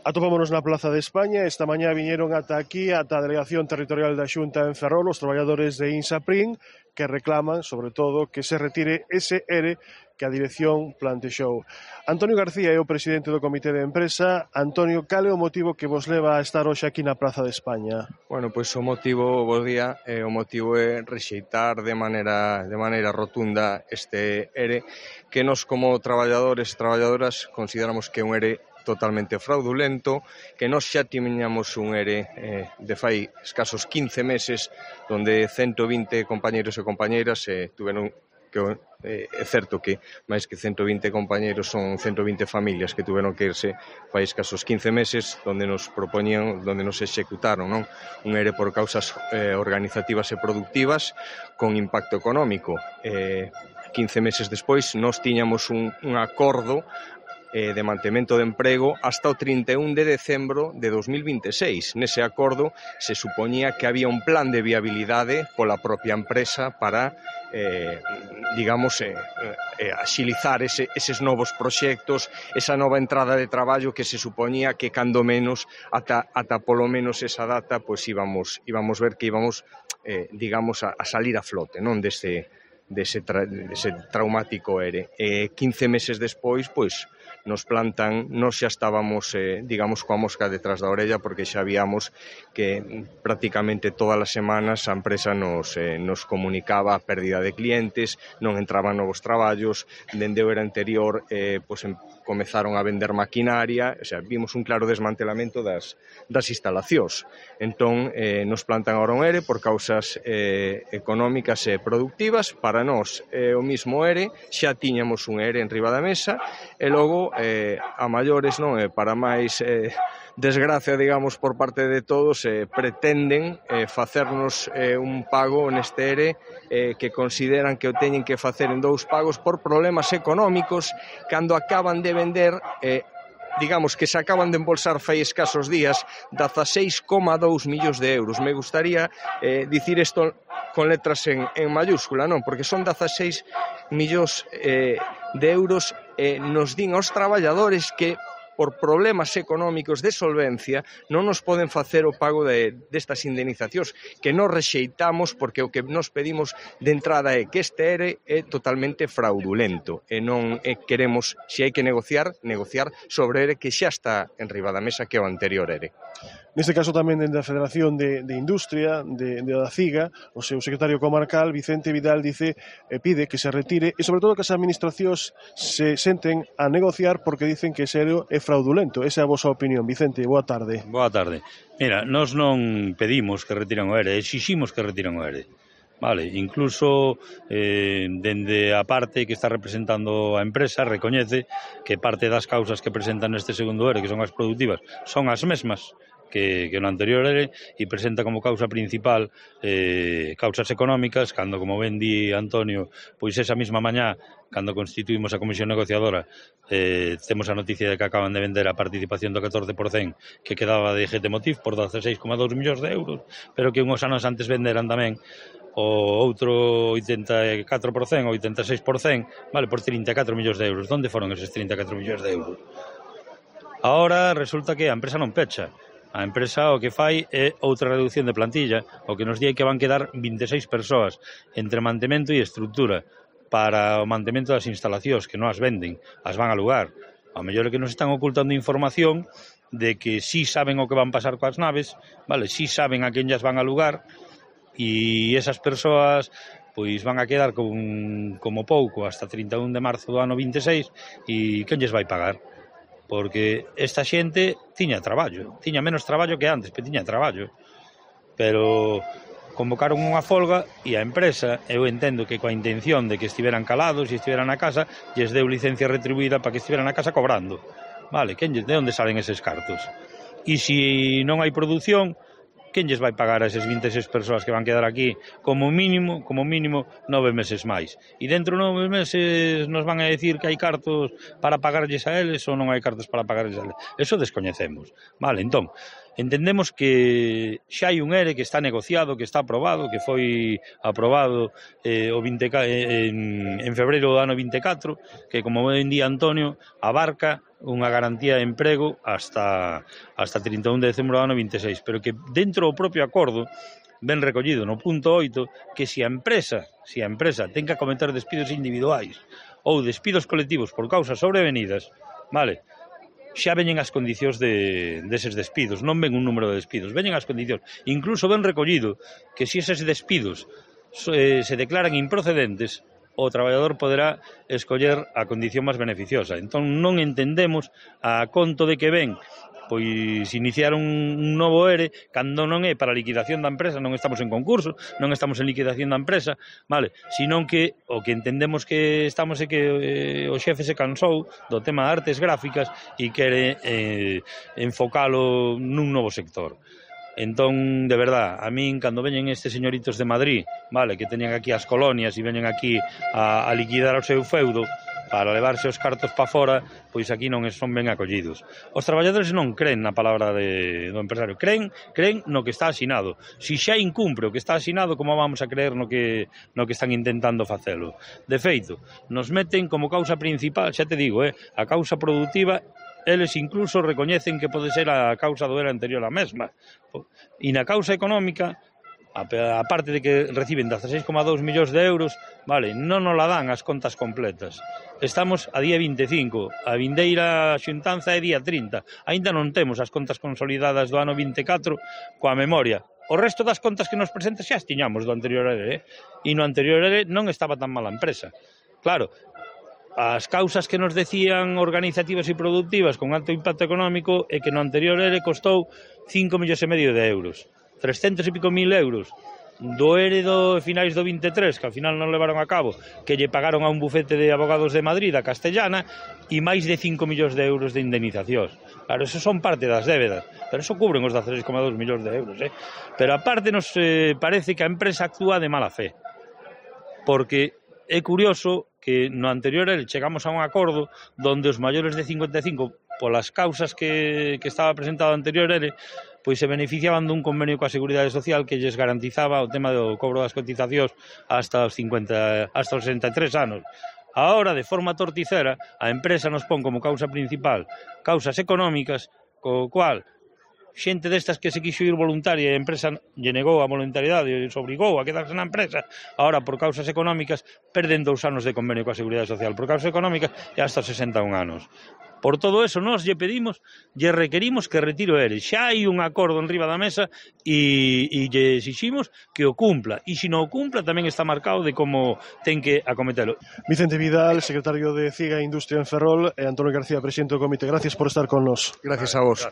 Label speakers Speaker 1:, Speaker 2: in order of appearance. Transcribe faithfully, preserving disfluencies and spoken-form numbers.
Speaker 1: Atopámonos na Plaza de España. Esta mañá viñeron ata aquí, ata a Delegación Territorial da Xunta en Ferrol, os traballadores de INSAPRIN, que reclaman, sobre todo, que se retire ese ERE que a dirección plantexou. Antonio García é o presidente do Comité de Empresa. Antonio, cal é o motivo que vos leva a estar hoxe aquí na Plaza de España?
Speaker 2: Bueno, pois o motivo, bo día, eh, o motivo é rexeitar de maneira, de maneira rotunda este ERE, que nos como traballadores e traballadoras consideramos que é un ERE totalmente fraudulento, que nós xa tiñamos un ERE eh, de fai escasos quince meses, donde ciento vinte compañeros e compañeiras eh, tuveron que eh, é certo que máis que ciento vinte compañeros son ciento vinte familias que tuveron que irse fai escasos quince meses, donde nos propoñían, donde nos executaron, non? Un ERE por causas eh, organizativas e productivas con impacto económico. Eh, quince meses despois nós tiñamos un, un acordo Eh, de mantemento de emprego hasta o trinta e un de decembro de dos mil vinte e seis. Nese acordo se supoñía que había un plan de viabilidade pola propia empresa para, eh, digamos, eh, eh, axilizar ese, eses novos proxectos, esa nova entrada de traballo que se supoñía que cando menos, ata, ata polo menos esa data, pois íbamos, íbamos ver que íbamos, eh, digamos, a, a salir a flote, non, dese, dese, tra, dese traumático ERE. Eh, quince meses despois, pois, nos plantan, nos xa estábamos, eh, digamos, coa mosca detrás da orella, porque xa víamos que prácticamente todas as semanas a empresa nos, eh, nos comunicaba a pérdida de clientes, non entraban novos traballos, dende o era anterior eh, pues, em, comezaron a vender maquinaria, o sea, vimos un claro desmantelamento das, das instalacións. Entón, eh, nos plantan ahora un ERE por causas eh, económicas e productivas. Para nós, eh, o mismo ERE, xa tiñamos un ERE en riba da mesa, e logo, eh, a maiores, non, eh, para máis eh, desgracia, digamos, por parte de todos, eh, pretenden eh, facernos eh, un pago neste ERE eh, que consideran que o teñen que facer en dous pagos por problemas económicos, cando acaban de vender, eh, digamos que se acaban de embolsar fai escasos días dezaseis coma dous millóns de euros. Me gustaría eh, dicir isto con letras en, en mayúscula, non? Porque son dezaseis millóns eh, de euros eh, nos din aos traballadores que por problemas económicos de solvencia non nos poden facer o pago de, destas indemnizacións, que nos rexeitamos porque o que nos pedimos de entrada é que este ERE é totalmente fraudulento e non é, queremos, se hai que negociar, negociar sobre ERE que xa está en riba da mesa, que é o anterior ERE.
Speaker 1: Neste caso tamén dende a Federación de, de Industria de, de da CIGA, o seu secretario comarcal Vicente Vidal dice e pide que se retire e sobre todo que as administracións se senten a negociar porque dicen que ese ERE é fraudulento. Esa é a vosa opinión. Vicente, boa tarde.
Speaker 3: Boa tarde. Mira, nós non pedimos que retiren o ERE, exiximos que retiren o ERE. Vale, incluso eh, dende a parte que está representando a empresa recoñece que parte das causas que presentan neste segundo ERE, que son as productivas, son as mesmas que, que no anterior ERE, e presenta como causa principal eh, causas económicas, cando, como ben di Antonio, pois esa mesma mañá, cando constituímos a comisión negociadora, eh, temos a noticia de que acaban de vender a participación do catorce por cento que quedaba de G T Motiv por dezaseis coma dous millóns de euros, pero que uns anos antes venderan tamén o outro oitenta e catro por cento, oitenta e seis por cento, vale, por trinta e catro millóns de euros. Onde foron eses trinta e catro millóns de euros? Ahora resulta que a empresa non pecha. A empresa o que fai é outra reducción de plantilla, o que nos di que van quedar vinte e seis persoas entre mantemento e estrutura para o mantemento das instalacións, que non as venden, as van a alugar. A mellor é que nos están ocultando información de que sí saben o que van pasar coas naves, vale, sí saben a quen llas van a alugar, e esas persoas pois van a quedar con, como pouco hasta trinta e un de marzo do ano vinte e seis, e quen lles vai pagar? Porque esta xente tiña traballo, tiña menos traballo que antes, pero tiña traballo. Pero convocaron unha folga e a empresa, eu entendo que coa intención de que estiveran calados e estiveran na casa, lles deu licencia retribuída para que estiveran na casa cobrando. Vale, quen, de onde salen eses cartos? E se non hai produción, quen lles vai pagar a esas vinte e seis persoas que van quedar aquí como mínimo, como mínimo nove meses máis? E dentro de nove meses nos van a decir que hai cartos para pagarlles a eles ou non hai cartos para pagarlles a eles? Eso descoñecemos. Vale, entón, entendemos que xa hai un ERE que está negociado, que está aprobado, que foi aprobado eh, o vinte, en, en febreiro do ano vinte e catro, que como ben di Antonio, abarca unha garantía de emprego hasta hasta trinta e un de decembro do ano vinte e seis, pero que dentro do propio acordo ben recollido no punto oito que se a empresa, se a empresa ten que acometer despidos individuais ou despidos colectivos por causas sobrevenidas, vale, xa veñen as condicións de, deses despidos, non ven un número de despidos, veñen as condicións. Incluso ben recollido que se eses despidos eh, se declaran improcedentes, o traballador poderá escoller a condición máis beneficiosa. Entón non entendemos a conto de que ven pois iniciar un, un novo ERE cando non é para a liquidación da empresa, non estamos en concurso, non estamos en liquidación da empresa, vale, senón que o que entendemos que estamos é que eh, o xefe se cansou do tema de artes gráficas e quere eh, enfocalo nun novo sector. Entón, de verdad, a min, cando veñen estes señoritos de Madrid, vale, que teñen aquí as colonias e veñen aquí a, a liquidar o seu feudo para levarse os cartos pa fora, pois aquí non son ben acollidos. Os traballadores non creen na palabra de, do empresario, creen, creen no que está asinado. Si xa incumpre o que está asinado, como vamos a creer no que, no que están intentando facelo? De feito, nos meten como causa principal, xa te digo, eh, a causa productiva. Eles incluso recoñecen que pode ser a causa do era anterior á mesma. E na causa económica, a parte de que reciben dezaseis coma dous millóns de euros, vale, non nos la dan as contas completas. Estamos a día vinte e cinco, a vindeira xuntanza é día trinta. Aínda non temos as contas consolidadas do ano vinte e catro coa memoria. O resto das contas que nos presenta xa as tiñamos do anterior ERE, eh? E no anterior ERE non estaba tan mala a empresa. Claro, as causas que nos decían organizativas e productivas con alto impacto económico é que no anterior ERE costou cinco millóns e medio de euros, trescentos e pico mil euros do ERE do finais do vinte e tres, que ao final non levaron a cabo, que lle pagaron a un bufete de abogados de Madrid, a Castellana, e máis de cinco millóns de euros de indemnizacións. Claro, eso son parte das débedas, pero eso cubren os dezaseis coma dous millóns de euros, eh? Pero aparte nos eh, parece que a empresa actúa de mala fe, porque é curioso que no anterior chegamos a un acordo donde os maiores de cincuenta e cinco, polas causas que, que estaba presentado anterior ERE, pois se beneficiaban dun convenio coa Seguridade Social que lles garantizaba o tema do cobro das cotizacións hasta os cincuenta, hasta os sesenta e tres anos. Ahora, de forma torticera, a empresa nos pon como causa principal causas económicas, co cual xente destas que se quixo ir voluntaria e a empresa lle negou a voluntariedade e se obrigou a quedarse na empresa, ahora por causas económicas perden dous anos de convenio coa Seguridade Social, por causas económicas e hasta sesenta e un anos. Por todo eso, nós lle pedimos, lle requerimos que retire o ERE. Xa hai un acordo enriba da mesa e, e lle exiximos que o cumpla. E se non o cumpla, tamén está marcado de como ten que acometelo.
Speaker 1: Vicente Vidal, secretario de CIGA Industria en Ferrol, e Antonio García, presidente do comité. Gracias por estar con nos.
Speaker 2: Gracias a vos.